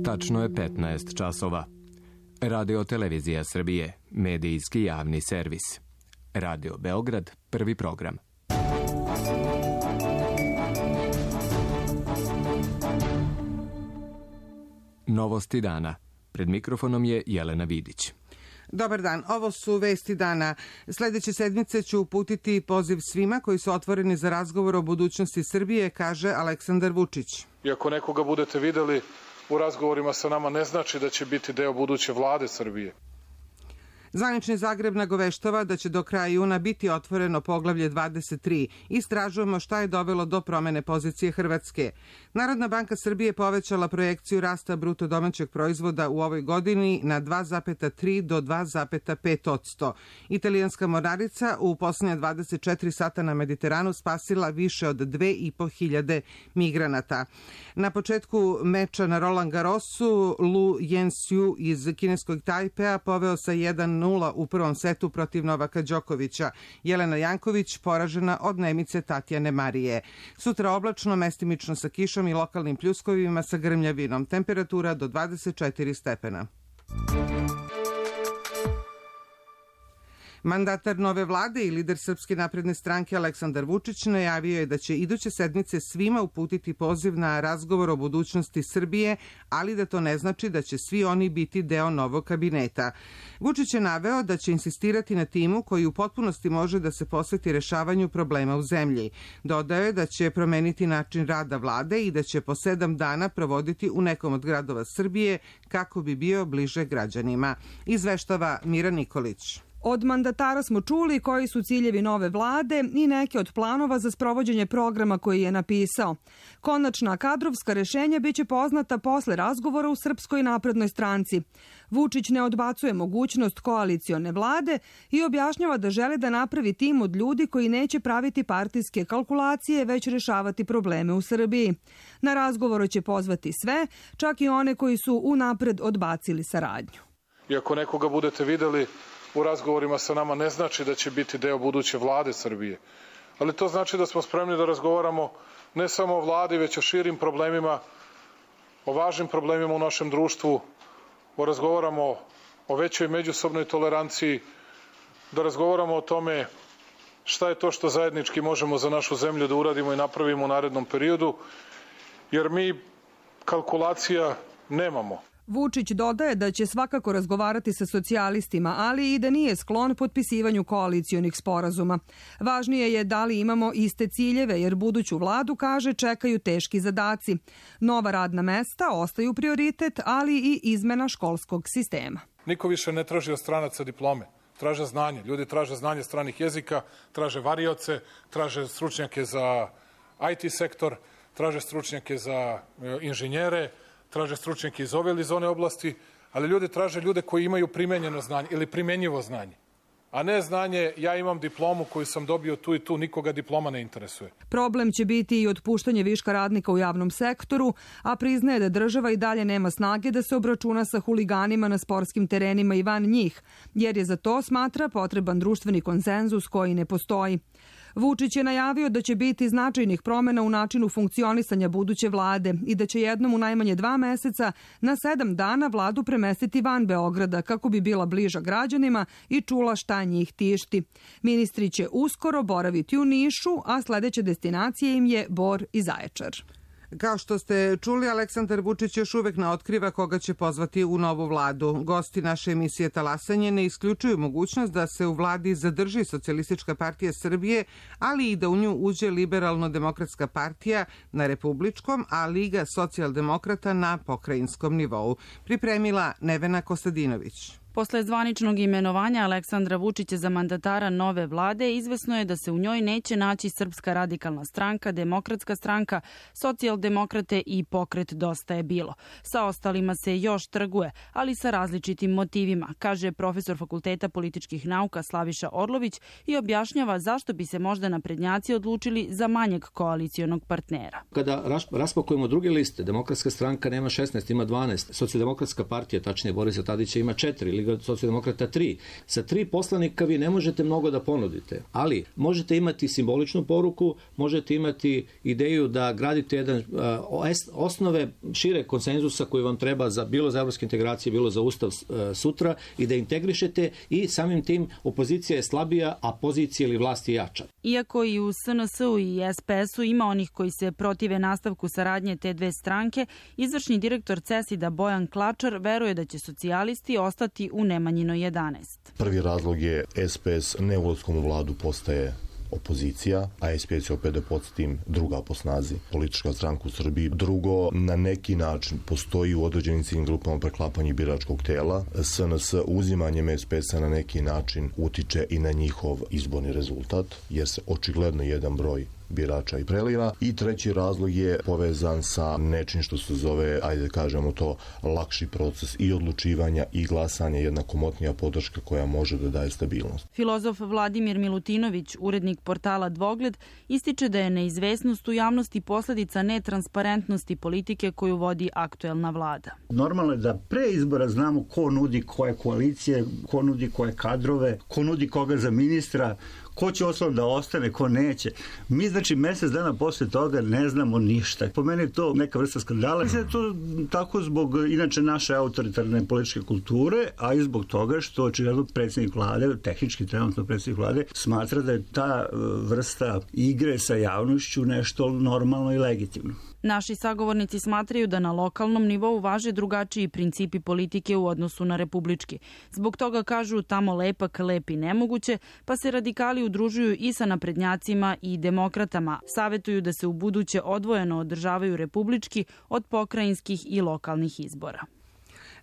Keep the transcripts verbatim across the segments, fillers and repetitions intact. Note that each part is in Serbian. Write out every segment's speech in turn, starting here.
Tačno je petnaest časova. Radio Televizija Srbije, medijski javni servis. Radio Beograd, prvi program. Novosti dana. Pred mikrofonom je Jelena Vidić. Dobar dan, ovo su vesti dana. Sledeće sedmice ću uputiti poziv svima koji su otvoreni za razgovor o budućnosti Srbije, kaže Aleksandar Vučić. I ako nekoga budete videli u razgovorima sa nama, ne znači da će biti deo buduće vlade Srbije. Zvanični Zagreb nagoveštava da će do kraja juna biti otvoreno poglavlje dvadeset tri. Istražujemo šta je dovelo do promene pozicije Hrvatske. Narodna banka Srbije povećala projekciju rasta bruto domaćeg proizvoda u ovoj godini na dva zarez tri do dva zarez pet posto. Italijanska mornarica u poslednje dvadeset četiri sata na Mediteranu spasila više od dve i po hiljade migranata. Na početku meča na Roland Garrosu Lu Yensiu iz kineskog Tajpea poveo sa jedan nula u prvom setu protiv Novaka Đokovića. Jelena Janković poražena od Nemice Tatjane Marije. Sutra oblačno, mestimično sa kišom i lokalnim pljuskovima sa grmljavinom. Temperatura do dvadeset četiri stepena. Mandatar nove vlade i lider Srpske napredne stranke Aleksandar Vučić najavio je da će iduće sedmice svima uputiti poziv na razgovor o budućnosti Srbije, ali da to ne znači da će svi oni biti deo novog kabineta. Vučić je naveo da će insistirati na timu koji u potpunosti može da se posveti rešavanju problema u zemlji. Dodao je da će promeniti način rada vlade i da će po sedam dana provoditi u nekom od gradova Srbije kako bi bio bliže građanima. Izveštava Mira Nikolić. Od mandatara smo čuli koji su ciljevi nove vlade i neke od planova za sprovođenje programa koji je napisao. Konačna kadrovska rešenja biće poznata posle razgovora u Srpskoj naprednoj stranci. Vučić ne odbacuje mogućnost koalicione vlade i objašnjava da žele da napravi tim od ljudi koji neće praviti partijske kalkulacije, već rešavati probleme u Srbiji. Na razgovoru će pozvati sve, čak i one koji su unapred odbacili saradnju. I ako nekoga budete videli u razgovorima sa nama, ne znači da će biti deo buduće vlade Srbije. Ali to znači da smo spremni da razgovaramo ne samo o vladi, već o širim problemima, o važnim problemima u našem društvu, o razgovaramo o većoj međusobnoj toleranciji, da razgovaramo o tome šta je to što zajednički možemo za našu zemlju da uradimo i napravimo u narednom periodu, jer mi kalkulacija nemamo. Vučić dodaje da će svakako razgovarati sa socijalistima, ali i da nije sklon potpisivanju koalicijonih sporazuma. Važnije je da li imamo iste ciljeve, jer buduću vladu, kaže, čekaju teški zadaci. Nova radna mesta ostaju prioritet, ali i izmena školskog sistema. Niko više ne traži od stranaca diplome. Traže znanje. Ljudi traže znanje stranih jezika, traže varioce, traže stručnjake za I T sektor, traže stručnjake za inženjere, traže stručnjake iz ove ili iz one oblasti, ali ljudi traže ljude koji imaju primenjeno znanje ili primenjivo znanje. A ne znanje, ja imam diplomu koju sam dobio tu i tu, nikoga diploma ne interesuje. Problem će biti i otpuštanje viška radnika u javnom sektoru, a priznaje da država i dalje nema snage da se obračuna sa huliganima na sportskim terenima i van njih, jer je za to, smatra, potreban društveni konsenzus koji ne postoji. Vučić je najavio da će biti značajnih promena u načinu funkcionisanja buduće vlade i da će jednom u najmanje dva meseca na sedam dana vladu premestiti van Beograda kako bi bila bliža građanima i čula šta njih tišti. Ministri će uskoro boraviti u Nišu, a sledeća destinacija im je Bor i Zaječar. Kao što ste čuli, Aleksandar Vučić još uvek ne otkriva koga će pozvati u novu vladu. Gosti naše emisije Talasanje ne isključuju mogućnost da se u vladi zadrži Socijalistička partija Srbije, ali i da u nju uđe Liberalno-demokratska partija na republičkom, a Liga socijaldemokrata na pokrajinskom nivou. Pripremila Nevena Kostadinović. Posle zvaničnog imenovanja Aleksandra Vučića za mandatara nove vlade, izvesno je da se u njoj neće naći Srpska radikalna stranka, Demokratska stranka, Socijaldemokrate i Pokret Dosta je bilo. Sa ostalima se još trguje, ali sa različitim motivima, kaže profesor Fakulteta političkih nauka Slaviša Orlović i objašnjava zašto bi se možda naprednjaci odlučili za manjeg koalicijonog partnera. Kada raspakujemo druge liste, Demokratska stranka nema šesnaest, ima dvanaest, Socijaldemokratska partija, tačnije Borisa Tadića, ima četiri, Liga socijaldemokrata tri. Sa tri poslanika vi ne možete mnogo da ponudite, ali možete imati simboličnu poruku, možete imati ideju da gradite jedan uh, osnove šire konsenzusa koji vam treba za, bilo za evropske integracije, bilo za ustav uh, sutra i da integrišete i samim tim opozicija je slabija, a pozicija ili vlast je jača. Iako i u S N S-u i S P S-u ima onih koji se protive nastavku saradnje te dve stranke, izvršni direktor CESID-a Bojan Klačar veruje da će socijalisti ostati u Nemanjinoj jedanaest. Prvi razlog je S P S neulaskom u vladu postaje opozicija, a S P S je opet da podsjetim druga po snazi politička stranka u Srbiji. Drugo, na neki način postoji u određenim ciljnim grupama preklapanje biračkog tela. S N S uzimanjem S P S-a na neki način utiče i na njihov izborni rezultat, jer se očigledno jedan broj birača i preliva. I treći razlog je povezan sa nečim što se zove, ajde da kažemo to, lakši proces i odlučivanja i glasanja, jedna komotnija podrška koja može da daje stabilnost. Filozof Vladimir Milutinović, urednik portala Dvogled, ističe da je neizvesnost u javnosti posledica netransparentnosti politike koju vodi aktuelna vlada. Normalno je da pre izbora znamo ko nudi koje koalicije, ko nudi koje kadrove, ko nudi koga za ministra, ko će osnovno da ostane, ko neće. Mi, znači, mesec dana posle toga ne znamo ništa. Po meni je to neka vrsta skandala. Mislim da je to tako zbog, inače, naše autoritarne političke kulture, a i zbog toga što očigledno predsjednik vlade, tehnički trenutno predsjednik vlade, smatra da je ta vrsta igre sa javnošću nešto normalno i legitimno. Naši sagovornici smatraju da na lokalnom nivou važe drugačiji principi politike u odnosu na republički. Zbog toga kažu tamo lepak, lep i nemoguće, pa se radikali udružuju i sa naprednjacima i demokratama. Savetuju da se u buduće odvojeno održavaju republički od pokrajinskih i lokalnih izbora.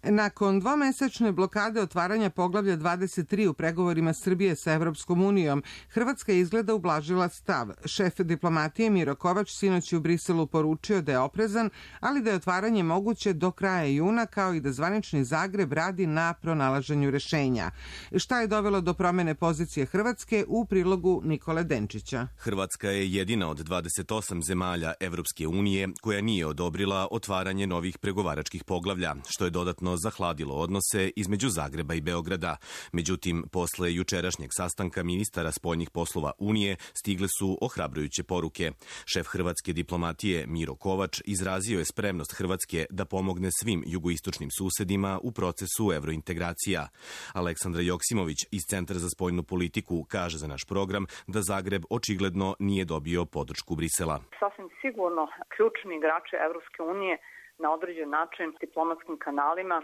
Nakon dvomesečne blokade otvaranja poglavlja dvadeset tri u pregovorima Srbije sa Evropskom unijom, Hrvatska je izgleda ublažila stav. Šef diplomatije Miro Kovač sinoć u Briselu poručio da je oprezan, ali da je otvaranje moguće do kraja juna, kao i da zvanični Zagreb radi na pronalaženju rešenja. Šta je dovelo do promene pozicije Hrvatske u prilogu Nikole Denčića? Hrvatska je jedina od dvadeset osam zemalja Evropske unije koja nije odobrila otvaranje novih pregovaračkih poglavlja, što je dodatno zahladilo odnose između Zagreba i Beograda. Međutim, posle jučerašnjeg sastanka ministara spoljnih poslova Unije stigle su ohrabrujuće poruke. Šef hrvatske diplomatije Miro Kovač izrazio je spremnost Hrvatske da pomogne svim jugoistočnim susedima u procesu evrointegracija. Aleksandra Joksimović iz Centra za spoljnu politiku kaže za naš program da Zagreb očigledno nije dobio podršku Brisela. Sasvim sigurno ključni igrači Evropske unije na određen način diplomatskim kanalima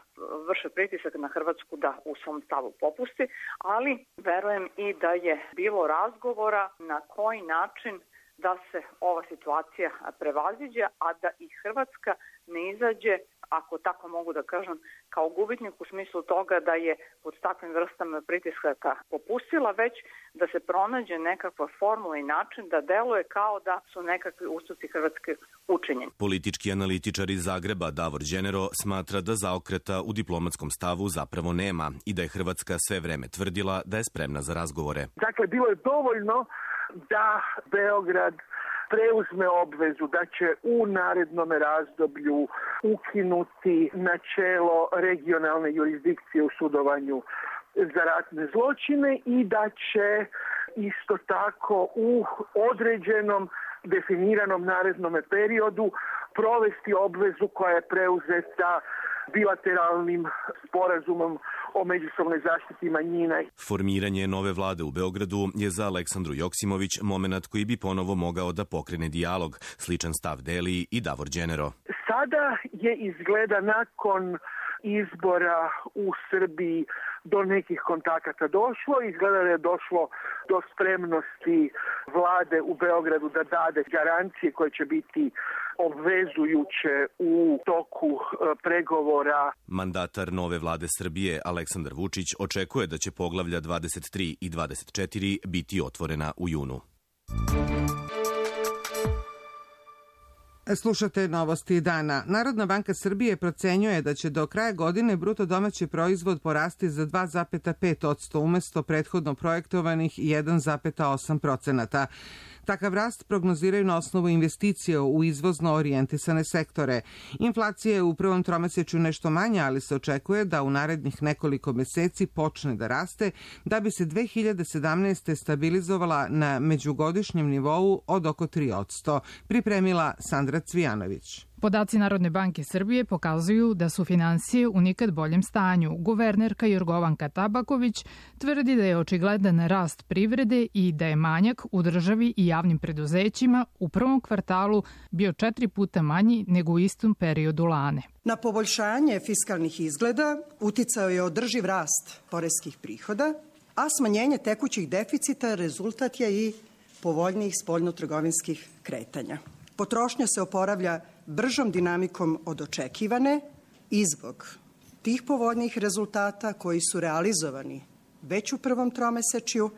vrše pritisak na Hrvatsku da u svom stavu popusti, ali verujem i da je bilo razgovora na koji način da se ova situacija prevaziđe, a da i Hrvatska ne izađe, ako tako mogu da kažem, kao gubitnik u smislu toga da je pod takvim vrstama pritiskaka popustila, već da se pronađe nekakva formula i način da deluje kao da su nekakvi ustupci Hrvatske učinjeni. Politički analitičar iz Zagreba Davor Đenero smatra da zaokreta u diplomatskom stavu zapravo nema i da je Hrvatska sve vreme tvrdila da je spremna za razgovore. Dakle, bilo je dovoljno da Beograd preuzme obvezu da će u narednom razdoblju ukinuti načelo regionalne jurisdikcije u sudovanju za ratne zločine i da će isto tako u određenom definiranom narednom periodu provesti obvezu koja je preuzeta bilateralnim sporazumom o međusobnoj zaštiti manjina. Formiranje nove vlade u Beogradu je za Aleksandru Joksimović momenat koji bi ponovo mogao da pokrene dijalog. Sličan stav deli i Davor Đenero. Sada je izgleda nakon izbora u Srbiji do nekih kontakata došlo. Izgleda da je došlo do spremnosti vlade u Beogradu da dade garancije koje će biti obvezujuće u toku pregovora. Mandatar nove vlade Srbije Aleksandar Vučić očekuje da će poglavlja dvadeset tri i dvadeset četiri biti otvorena u junu. Slušate novosti dana. Narodna banka Srbije procenjuje da će do kraja godine bruto domaći proizvod porasti za dva zarez pet posto umesto prethodno projektovanih jedan zarez osam procenata. Takav rast prognoziraju na osnovu investicije u izvozno orijentisane sektore. Inflacija je u prvom tromesečju nešto manja, ali se očekuje da u narednih nekoliko meseci počne da raste, da bi se dve hiljade sedamnaeste. stabilizovala na međugodišnjem nivou od oko tri posto, pripremila Sandra Cvijanović. Podaci Narodne banke Srbije pokazuju da su finansije u nikad boljem stanju. Guvernerka Jorgovanka Tabaković tvrdi da je očigledan rast privrede i da je manjak u državi i javnim preduzećima u prvom kvartalu bio četiri puta manji nego u istom periodu lane. Na poboljšanje fiskalnih izgleda uticao je održiv rast poreskih prihoda, a smanjenje tekućih deficita rezultat je i povoljnijih spoljnotrgovinskih kretanja. Potrošnja se oporavlja bržom dinamikom od očekivane i zbog tih povoljnijih rezultata koji su realizovani već u prvom tromesečju,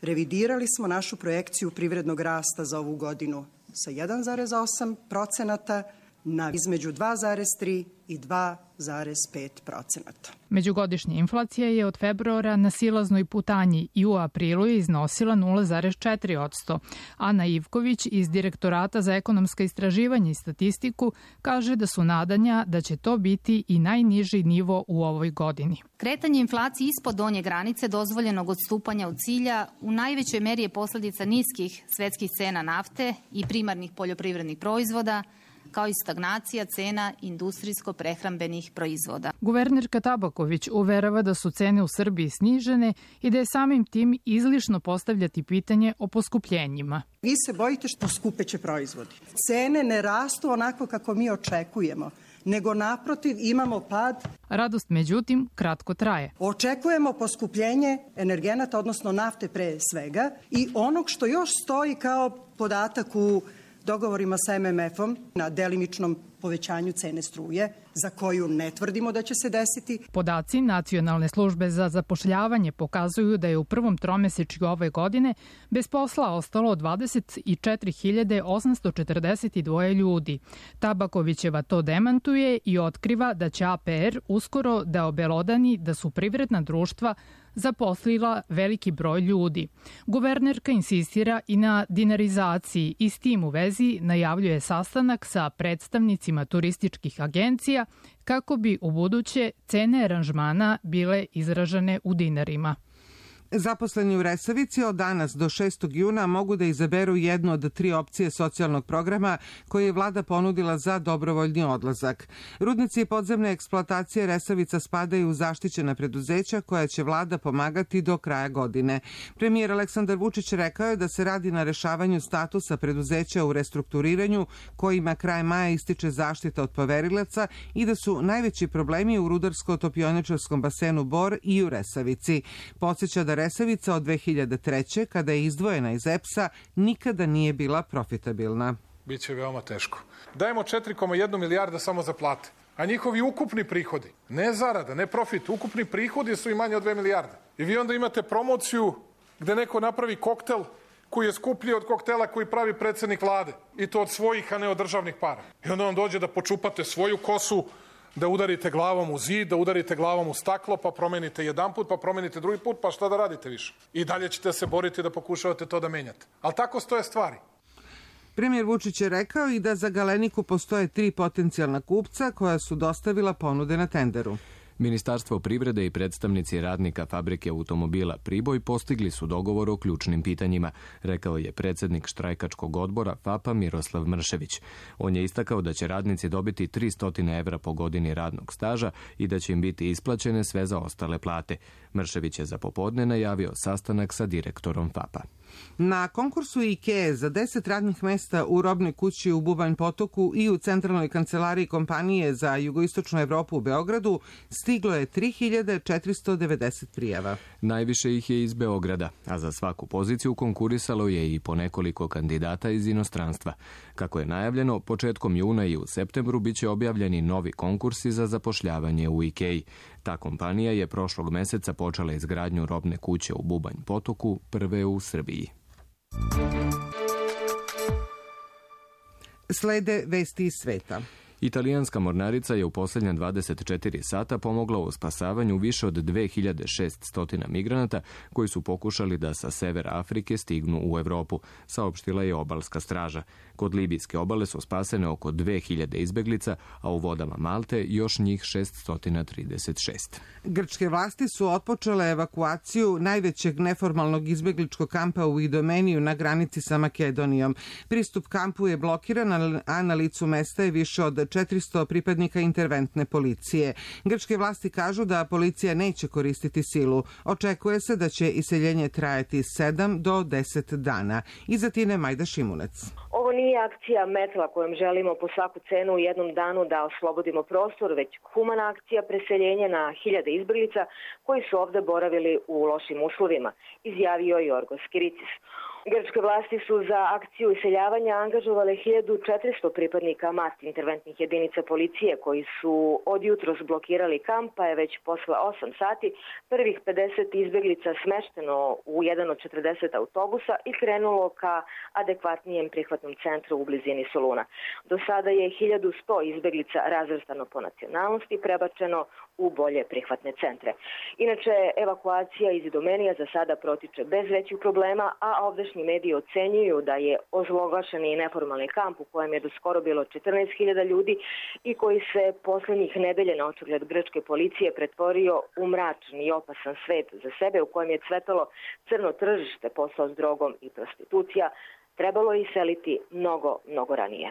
revidirali smo našu projekciju privrednog rasta za ovu godinu sa jedan zarez osam procenata na između dva zarez tri i dva zarez pet procenata. Međugodišnja inflacija je od februara na silaznoj putanji i u aprilu je iznosila nula zarez četiri posto. Ana Ivković iz Direktorata za ekonomska istraživanja i statistiku kaže da su nadanja da će to biti i najniži nivo u ovoj godini. Kretanje inflacije ispod donje granice dozvoljenog odstupanja od cilja u najvećoj meri je posljedica niskih svetskih cena nafte i primarnih poljoprivrednih proizvoda, kao i stagnacija cena industrijsko-prehrambenih proizvoda. Guvernerka Tabaković uverava da su cene u Srbiji snižene i da je samim tim izlišno postavljati pitanje o poskupljenjima. Vi se bojite što skupeće proizvodi. Cene ne rastu onako kako mi očekujemo, nego naprotiv imamo pad. Radost, međutim, kratko traje. Očekujemo poskupljenje energenata, odnosno nafte pre svega, i onog što još stoji kao podatak u dogovorima sa em em efom na delimičnom povećanju cene struje, za koju ne tvrdimo da će se desiti. Podaci Nacionalne službe za zapošljavanje pokazuju da je u prvom tromesečju ove godine bez posla ostalo dvadeset četiri hiljade osamsto četrdeset dva ljudi. Tabakovićeva to demantuje i otkriva da će a pe er uskoro da obelodani da su privredna društva zaposlila veliki broj ljudi. Guvernerka insistira i na dinarizaciji i s tim u vezi najavljuje sastanak sa predstavnicima turističkih agencija kako bi u buduće cene aranžmana bile izražene u dinarima. Zaposleni u Resavici od danas do šestog juna mogu da izaberu jednu od tri opcije socijalnog programa koje je vlada ponudila za dobrovoljni odlazak. Rudnici i podzemne eksploatacije Resavica spadaju u zaštićena preduzeća koja će vlada pomagati do kraja godine. Premijer Aleksandar Vučić rekao je da se radi na rešavanju statusa preduzeća u restrukturiranju kojima kraj maja ističe zaštita od poverilaca i da su najveći problemi u rudarsko-topioničarskom basenu Bor i u Resavici. Podsjeća da Resavica od dve hiljade treće. kada je izdvojena iz e pe es-a, nikada nije bila profitabilna. Biće veoma teško. Dajemo četiri zarez jedan milijarda samo za plate, a njihovi ukupni prihodi, ne zarada, ne profit, ukupni prihodi su i manje od dve milijarde. I vi onda imate promociju gde neko napravi koktel koji je skuplji od koktela koji pravi predsednik vlade. I to od svojih, a ne od državnih para. I onda vam dođe da počupate svoju kosu, da udarite glavom u zid, da udarite glavom u staklo, pa promenite jedan put, pa promenite drugi put, pa šta da radite više? I dalje ćete se boriti da pokušavate to da menjate. Ali tako stoje stvari. Premijer Vučić je rekao i da za Galeniku postoje tri potencijalna kupca koja su dostavila ponude na tenderu. Ministarstvo privrede i predstavnici radnika fabrike automobila Priboj postigli su dogovor o ključnim pitanjima, rekao je predsednik štrajkačkog odbora F a pe-a Miroslav Mršević. On je istakao da će radnici dobiti tristo evra po godini radnog staža i da će im biti isplaćene sve za ostale plate. Mršević je za popodne najavio sastanak sa direktorom F a pe-a. Na konkursu IKEA za deset radnih mesta u robnoj kući u Bubanj Potoku i u centralnoj kancelariji kompanije za jugoistočnu Evropu u Beogradu stiglo je tri hiljade četiristo devedeset prijava. Najviše ih je iz Beograda, a za svaku poziciju konkurisalo je i po nekoliko kandidata iz inostranstva. Kako je najavljeno, početkom juna i u septembru biće objavljeni novi konkursi za zapošljavanje u IKEA. Ta kompanija je prošlog meseca počela izgradnju robne kuće u Bubanj Potoku, prve u Srbiji. Slede vesti iz sveta. Italijanska mornarica je u posljednja dvadeset četiri sata pomogla u spasavanju više od dve hiljade šeststo migranata koji su pokušali da sa severa Afrike stignu u Evropu, saopštila je obalska straža. Kod libijske obale su spasene oko dve hiljade izbeglica, a u vodama Malte još njih šeststo trideset šest. Grčke vlasti su otpočele evakuaciju najvećeg neformalnog izbegličkog kampa u Idomeniju na granici sa Makedonijom. Pristup kampu je blokiran, a na licu mesta je više od četiristo pripadnika interventne policije. Grčke vlasti kažu da policija neće koristiti silu. Očekuje se da će iseljenje trajati sedam do deset dana. Iz Atine Majda Šimunec. Ovo nije akcija metla kojom želimo po svaku cenu u jednom danu da oslobodimo prostor, već humana akcija preseljenja na hiljade izbeglica koji su ovde boravili u lošim uslovima, izjavio Jorgos Kiritis. Grčke vlasti su za akciju iseljavanja angažovale hiljadu četiristo pripadnika MAT interventnih jedinica policije koji su od jutros blokirali kamp, pa je već posle osam sati prvih pedeset izbeglica smešteno u jedan od četrdeset autobusa i krenulo ka adekvatnijem prihvatnom centru u blizini Soluna. Do sada je hiljadu sto izbeglica razvrstano po nacionalnosti prebačeno u bolje prihvatne centre. Inače, evakuacija iz Idomenija za sada protiče bez većih problema, a ovdašnji mediji ocenjuju da je ozloglašeni neformalni kamp u kojem je do skoro bilo četrnaest hiljada ljudi i koji se poslednjih nedelje na očigled grčke policije pretvorio u mračni i opasan svet za sebe u kojem je cvetalo crno tržište, posao s drogom i prostitucija, trebalo je iseliti mnogo, mnogo ranije.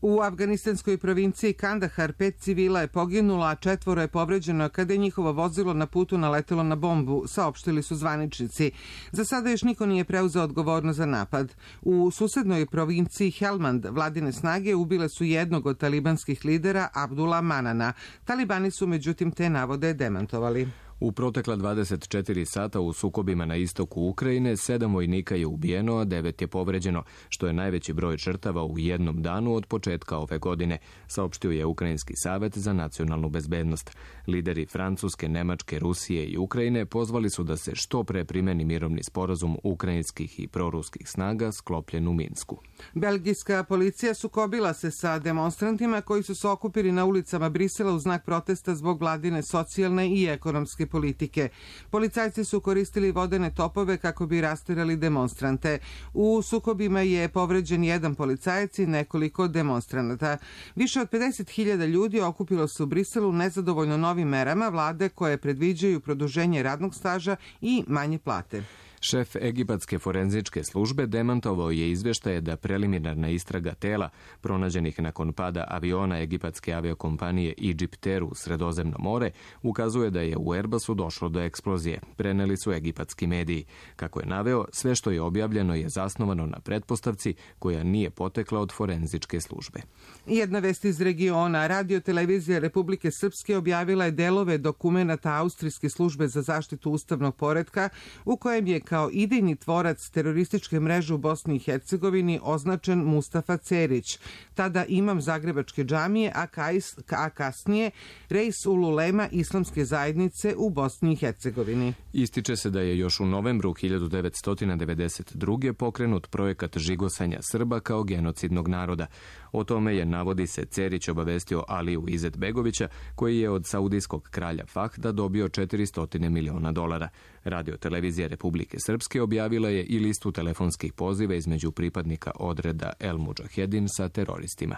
U afganistanskoj provinciji Kandahar pet civila je poginulo, a četvoro je povređeno kada je njihovo vozilo na putu naletelo na bombu, saopštili su zvaničnici. Za sada još niko nije preuzeo odgovornost za napad. U susednoj provinciji Helmand vladine snage ubile su jednog od talibanskih lidera, Abdula Manana. Talibani su međutim te navode demantovali. U protekla dvadeset četiri sata u sukobima na istoku Ukrajine sedam vojnika je ubijeno, a devet je povređeno, što je najveći broj žrtava u jednom danu od početka ove godine, saopštio je Ukrajinski savet za nacionalnu bezbednost. Lideri Francuske, Nemačke, Rusije i Ukrajine pozvali su da se što pre primeni mirovni sporazum ukrajinskih i proruskih snaga sklopljen u Minsku. Belgijska policija sukobila se sa demonstrantima koji su se okupili na ulicama Brisela u znak protesta zbog vladine socijalne i ekonomske politike. Policajci su koristili vodene topove kako bi rasterali demonstrante. U sukobima je povređen jedan policajac i nekoliko demonstranata. Više od pedeset hiljada ljudi okupilo se u Briselu nezadovoljno novim merama vlade koje predviđaju produženje radnog staža i manje plate. Šef egipatske forenzičke službe demantovao je izveštaje da preliminarna istraga tela pronađenih nakon pada aviona egipatske aviokompanije Egypter u Sredozemno more ukazuje da je u Airbusu došlo do eksplozije, preneli su egipatski mediji. Kako je naveo, sve što je objavljeno je zasnovano na pretpostavci koja nije potekla od forenzičke službe. Jedna vest iz regiona. Radio-televizija Republike Srpske objavila je delove dokumenata Austrijske službe za zaštitu ustavnog poretka u kojem je kao idejni tvorac terorističke mreže u Bosni i Hercegovini označen Mustafa Cerić, tada imam Zagrebačke džamije, a, kajs, a kasnije Reis Ululema islamske zajednice u Bosni i Hercegovini. Ističe se da je još u novembru hiljadu devetsto devedeset druge pokrenut projekat žigosanja Srba kao genocidnog naroda. O tome je, navodi se, Cerić obavestio Aliju Izetbegovića, koji je od saudijskog kralja Fahda dobio četiristo miliona dolara. Radio-televizija Republike Srpske objavila je i listu telefonskih poziva između pripadnika odreda El Mudžahedin sa teroristima.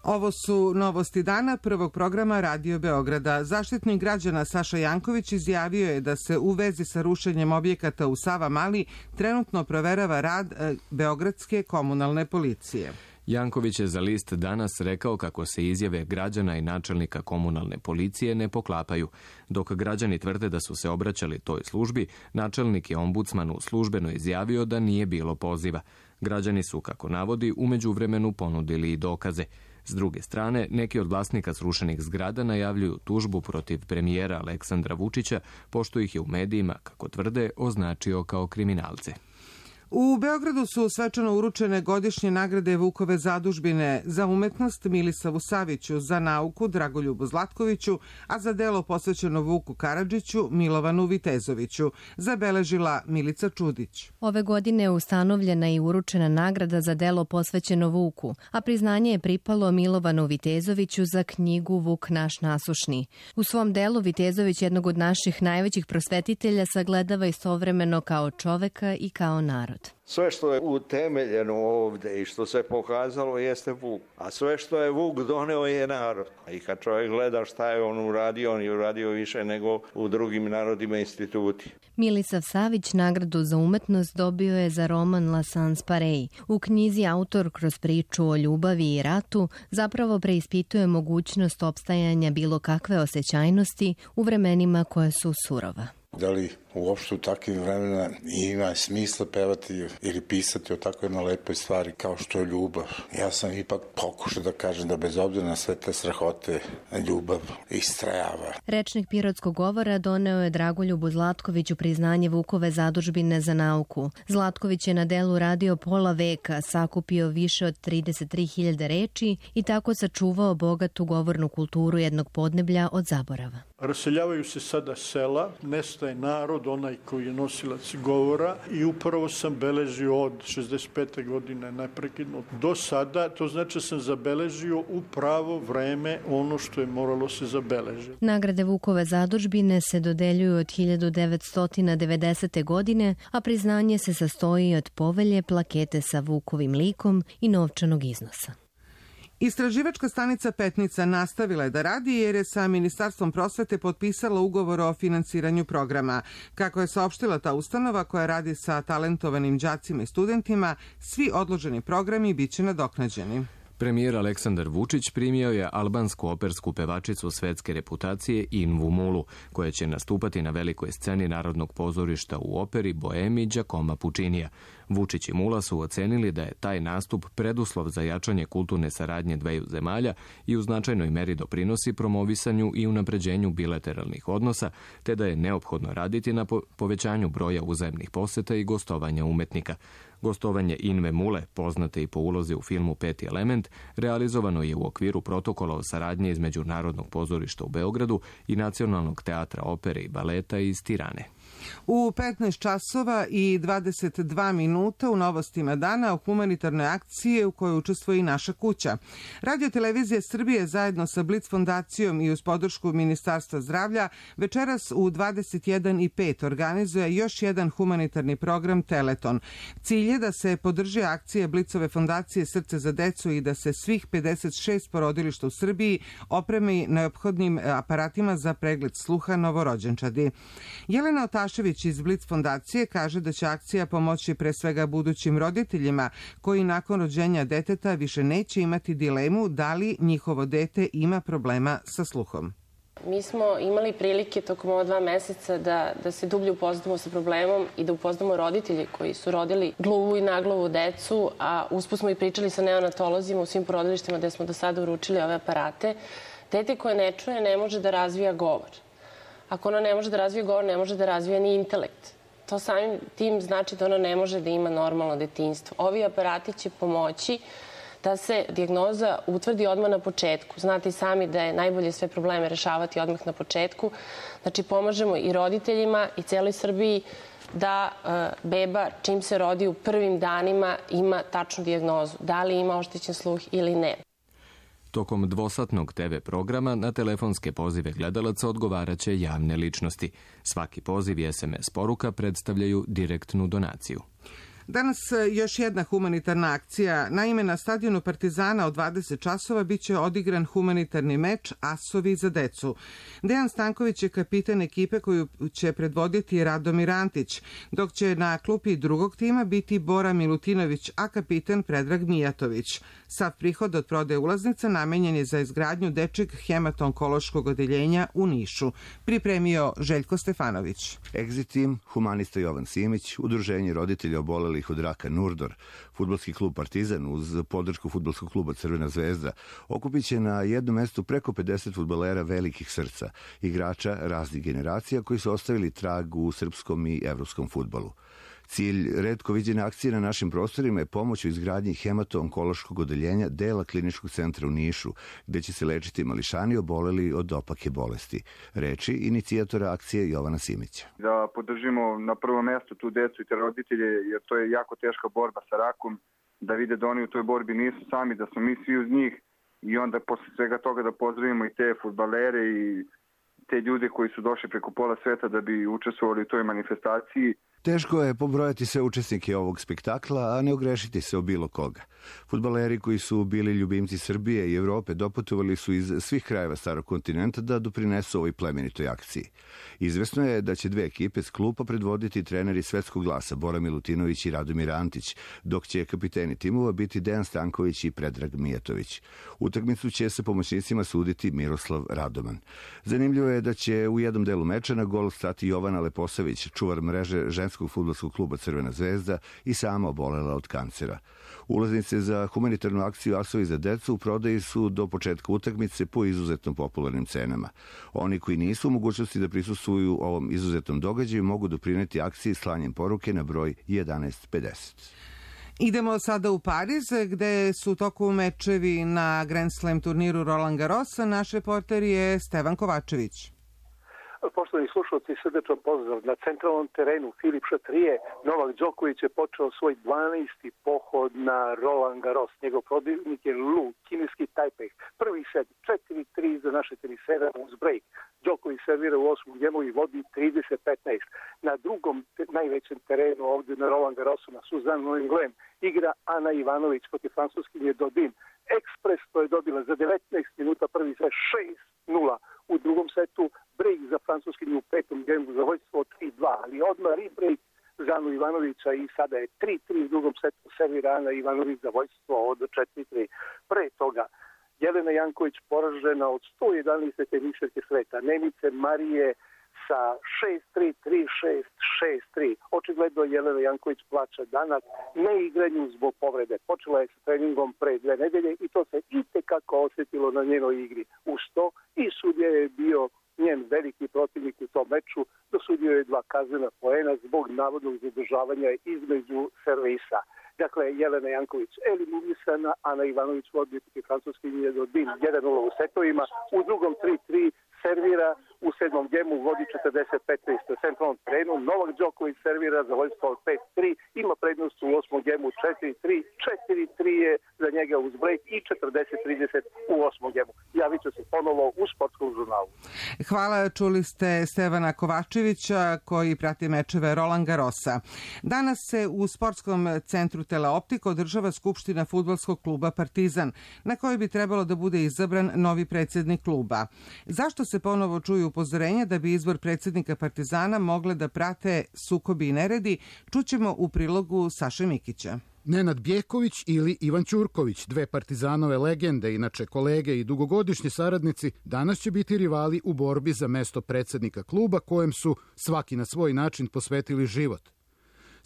Ovo su novosti dana prvog programa Radio Beograda. Zaštitnik građana Saša Janković izjavio je da se u vezi sa rušenjem objekata u Savamali trenutno proverava rad e, Beogradske komunalne policije. Janković je za list Danas rekao kako se izjave građana i načelnika komunalne policije ne poklapaju. Dok građani tvrde da su se obraćali toj službi, načelnik je ombudsmanu službeno izjavio da nije bilo poziva. Građani su, kako navodi, u međuvremenu ponudili i dokaze. S druge strane, neki od vlasnika srušenih zgrada najavljuju tužbu protiv premijera Aleksandra Vučića, pošto ih je u medijima, kako tvrde, označio kao kriminalce. U Beogradu su svečano uručene godišnje nagrade Vukove zadužbine za umetnost Milisavu Saviću, za nauku Dragoljubu Zlatkoviću, a za delo posvećeno Vuku Karadžiću Milovanu Vitezoviću, zabeležila Milica Čudić. Ove godine je ustanovljena i uručena nagrada za delo posvećeno Vuku, a priznanje je pripalo Milovanu Vitezoviću za knjigu Vuk naš nasušni. U svom delu Vitezović jednog od naših najvećih prosvetitelja sagledava istovremeno kao čoveka i kao narod. Sve što je utemeljeno ovde i što se pokazalo jeste Vuk, a sve što je Vuk doneo je narod. I kad čovjek gleda šta je on uradio, on je uradio više nego u drugim narodima i instituti. Milisav Savić nagradu za umetnost dobio je za roman La Sans Pareil. U knjizi autor kroz priču o ljubavi i ratu zapravo preispituje mogućnost opstajanja bilo kakve osjećajnosti u vremenima koja su surova. Da li uopšte u takvim vremena ima smisla pevati ili pisati o tako jednoj lepoj stvari kao što je ljubav? Ja sam ipak pokušao da kažem da bez obzira na sve te strahote, ljubav istrajava. Rečnik pirotskog govora doneo je Dragoljubu Zlatkoviću priznanje Vukove zadužbine za nauku. Zlatković je na delu radio pola veka, sakupio više od trideset tri hiljade reči i tako sačuvao bogatu govornu kulturu jednog podneblja od zaborava. Raseljavaju se sada sela, nestaje narod, onaj koji je nosilac govora, i upravo sam beležio od šezdeset pete godine neprekidno do sada, to znači da sam zabeležio u pravo vreme ono što je moralo se zabeležiti. Nagrade Vukove zadužbine se dodeljuju od hiljadu devetsto devedesete. godine, a priznanje se sastoji od povelje, plakete sa Vukovim likom i novčanog iznosa. Istraživačka stanica Petnica nastavila je da radi jer je sa Ministarstvom prosvete potpisala ugovor o finansiranju programa. Kako je saopštila ta ustanova koja radi sa talentovanim đacima i studentima, svi odloženi programi biće nadoknađeni. Premijer Aleksandar Vučić primio je albansku opersku pevačicu svetske reputacije Invu Mulu, koja će nastupati na velikoj sceni Narodnog pozorišta u operi Boemi Giacomo Puccinija. Vučić i Mula su ocenili da je taj nastup preduslov za jačanje kulturne saradnje dveju zemalja i u značajnoj meri doprinosi promovisanju i unapređenju bilateralnih odnosa, te da je neophodno raditi na povećanju broja uzajemnih poseta i gostovanja umetnika. Gostovanje Inve Mule, poznate i po ulozi u filmu Peti element, realizovano je u okviru protokola o saradnji između Narodnog pozorišta u Beogradu i Nacionalnog teatra opere i baleta iz Tirane. U petnaest časova i dvadeset dva minuta u novostima dana o humanitarnoj akciji u kojoj učestvuje i naša kuća. Radio televizija Srbije zajedno sa Blic fondacijom i uz podršku Ministarstva zdravlja večeras u dvadeset jedan i pet organizuje još jedan humanitarni program Teleton. Cilj je da se podrži akcije Blicove fondacije Srce za decu i da se svih pedeset šest porodilišta u Srbiji opremi neophodnim aparatima za pregled sluha novorođenčadi. Jelena Otašević iz Blic fondacije kaže da će akcija pomoći pre svega budućim roditeljima koji nakon rođenja deteta više neće imati dilemu da li njihovo dete ima problema sa sluhom. Mi smo imali prilike tokom ova dva meseca da, da se dublje upoznamo sa problemom i da upoznamo roditelji koji su rodili gluvu i nagluvu decu, a usput smo i pričali sa neonatolozima u svim porodilištima gde smo do sada uručili ove aparate. Dete koje ne čuje ne može da razvija govor. Ako ono ne može da razvija govor, ne može da razvija ni intelekt. To samim tim znači da ono ne može da ima normalno detinjstvo. Ovi aparati će pomoći da se dijagnoza utvrdi odmah na početku. Znate i sami da je najbolje sve probleme rešavati odmah na početku. Znači, pomažemo i roditeljima i celoj Srbiji da uh, beba čim se rodi u prvim danima ima tačnu dijagnozu. Da li ima oštećen sluh ili ne. Tokom dvosatnog te ve programa na telefonske pozive gledalaca odgovaraće javne ličnosti. Svaki poziv i es em es poruka predstavljaju direktnu donaciju. Danas još jedna humanitarna akcija. Naime, na stadionu Partizana od dvadeset časova biće odigran humanitarni meč Asovi za decu. Dejan Stanković je kapitan ekipe koju će predvoditi Radomir Antić, dok će na klupi drugog tima biti Bora Milutinović, a kapitan Predrag Mijatović. Sav prihod od prodaje ulaznica namenjen je za izgradnju dečjeg hematonkološkog odeljenja u Nišu. Pripremio Željko Stefanović. Exit Team, humanista Jovan Simić, Udruženje roditelja obolelih od raka Nurdor, Fudbalski klub Partizan uz podršku Fudbalskog kluba Crvena zvezda okupit će na jednom mestu preko pedeset fudbalera velikih srca, igrača raznih generacija koji su ostavili trag u srpskom i evropskom fudbalu. Cilj retko viđene akcije na našim prostorima je pomoć u izgradnji hemato-onkološkog odeljenja dela kliničkog centra u Nišu, gde će se lečiti mališani oboleli od opake bolesti. Reči inicijatora akcije Jovana Simića. Da podržimo na prvo mesto tu decu i te roditelje, jer to je jako teška borba sa rakom, da vide da oni u toj borbi nisu sami, da smo mi svi uz njih i onda posle svega toga da pozdravimo i te fudbalere i te ljude koji su došli preko pola sveta da bi učestvovali u toj manifestaciji. Teško je pobrojati sve učesnike ovog spektakla, a ne ogrešiti se o bilo koga. Fudbaleri koji su bili ljubimci Srbije i Evrope doputovali su iz svih krajeva starog kontinenta da doprinesu ovoj plemenitoj akciji. Izvesno je da će dve ekipe s klupa predvoditi treneri svetskog glasa Bora Milutinović i Radomir Antić, dok će kapiteni timova biti Dejan Stanković i Predrag Mijatović. Utakmicu će sa pomoćnicima suditi Miroslav Radoman. Zanimljivo je da će u jednom delu meča na gol stati Jovana Leposavić, čuvar mreže ženskog fudbalskog kluba Crvena zvezda i sama obolela od kancera. Ulaznice za humanitarnu akciju Asovi za decu u prodaji su do početka utakmice po izuzetno popularnim cenama. Oni koji nisu u mogućnosti da prisustvuju ovom izuzetnom događaju mogu doprineti akciji slanjem poruke na broj jedanaest pedeset. Idemo sada u Pariz, gde su toku mečevi na Grand Slam turniru Roland Garros. Naš reporter je Stevan Kovačević. Poštovani slušalci, srdečan pozdrav. Na centralnom terenu Filip Chatrier, Novak Đoković je počeo svoj dvanaesti pohod na Roland Garros. Njegov protivnik je Lu, kineski Tajpej. Prvi set četiri tri za naše tenisera uz break. Đoković servira u osmom gemu i vodi trideset petnaest. Na drugom najvećem terenu ovde na Roland Garrosu na Suzanne Lenglen igra Ana Ivanović protiv francuskinje Dodin. Ekspres to je dobila za devetnaest minuta, prvi set šest nula. U drugom setu break za francuskinju u petom gemu za vojstvo tri dva, ali odmah rebreak za Anu Ivanovića i sada je tri tri u drugom setu servira Ana Ivanović za vojstvo od četiri tri. Pre toga Jelena Janković poražena od sto jedanaeste teniserke sveta, Nemice Marije sa šest tri, tri šest, šest tri. Očigledno Jelena Janković plaća danas neigranju zbog povrede. Počela je sa treningom pre dve nedelje i to se itekako osjetilo na njenoj igri. Uz to i sudija je bio njen veliki protivnik u tom meču, dosudio je dva kaznena poena zbog navodnog zadržavanja između servisa. Dakle, Jelena Janković eliminisana, Ana Ivanović vodi protiv francuskinje Dodin jedan nula u setovima, u drugom tri tri servira, u sedmom gemu vodi četrdeset petnaest na centralnom terenu, Novak Đoković servira za vojstvo od pet tri, ima prednost u osmom gemu četiri tri, četiri tri je za njega uz break i četrdeset trideset u osmom gemu. Javit ću se ponovo u sportskom žurnalu. Hvala, čuli ste Stevana Kovačevića koji prati mečeve Roland Garrosa. Danas se u sportskom centru Teleoptik održava skupština fudbalskog kluba Partizan, na kojoj bi trebalo da bude izabran novi predsjednik kluba. Zašto se ponovo čuju upozorenja da bi izbor predsjednika Partizana mogle da prate sukobi i neredi, čućemo u prilogu Saše Mikića. Nenad Bjeković ili Ivan Ćurković, dve Partizanove legende, inače kolege i dugogodišnji saradnici, danas će biti rivali u borbi za mesto predsjednika kluba kojem su svaki na svoj način posvetili život.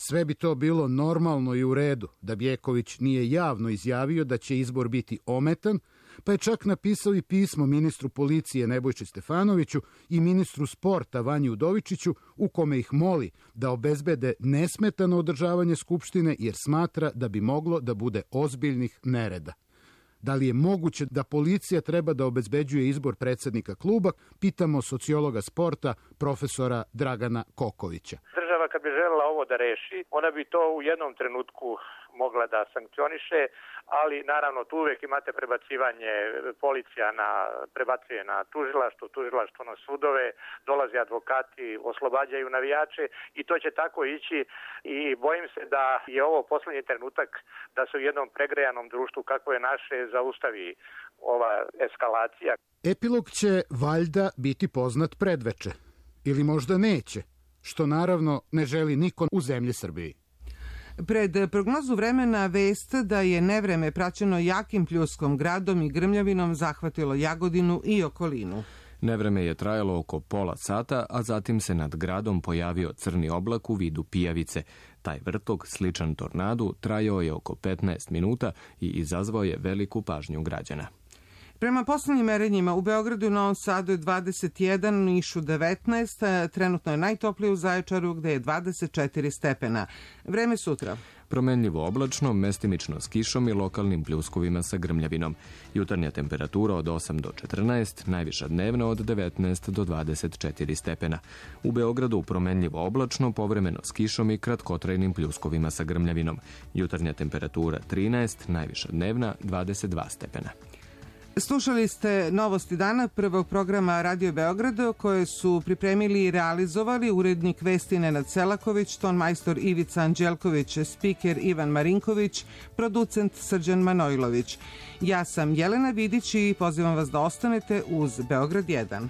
Sve bi to bilo normalno i u redu da Bjeković nije javno izjavio da će izbor biti ometan, pa je čak napisao i pismo ministru policije Nebojši Stefanoviću i ministru sporta Vanji Udovičiću u kome ih moli da obezbede nesmetano održavanje skupštine jer smatra da bi moglo da bude ozbiljnih nereda. Da li je moguće da policija treba da obezbeđuje izbor predsjednika kluba, pitamo sociologa sporta profesora Dragana Kokovića. Država kad bi želela ovo da reši, ona bi to u jednom trenutku mogla da sankcioniše, ali naravno tu uvijek imate prebacivanje, policija na, prebacuje na tužilaštvo, tužilaštvo na sudove, dolaze advokati, oslobađaju navijače i to će tako ići i bojim se da je ovo posljednji trenutak da se u jednom pregrejanom društvu kako je naše zaustavi ova eskalacija. Epilog će valjda biti poznat predveče, ili možda neće, što naravno ne želi niko u zemlji Srbiji. Pred prognozu vremena vest da je nevreme praćeno jakim pljuskom, gradom i grmljavinom zahvatilo Jagodinu i okolinu. Nevreme je trajalo oko pola sata, a zatim se nad gradom pojavio crni oblak u vidu pijavice. Taj vrtok, sličan tornadu, trajao je oko petnaest minuta i izazvao je veliku pažnju građana. Prema poslednjim merenjima u Beogradu i Novom Sadu je dvadeset jedan, u Nišu devetnaest, trenutno je najtoplije u Zaječaru gde je dvadeset četiri stepena. Vreme sutra. Promenljivo oblačno, mestimično s kišom i lokalnim pljuskovima sa grmljavinom. Jutarnja temperatura od osam do četrnaest, najviša dnevna od devetnaest do dvadeset četiri stepena. U Beogradu promenljivo oblačno, povremeno s kišom i kratkotrajnim pljuskovima sa grmljavinom. Jutarnja temperatura trinaest, najviša dnevna dvadeset dva stepena. Slušali ste Novosti dana prvog programa Radio Beograda koje su pripremili i realizovali urednik vesti Nenad Selaković, tonmajstor Ivica Anđelković, spiker Ivan Marinković, producent Srđan Manojlović. Ja sam Jelena Vidić i pozivam vas da ostanete uz Beograd jedan.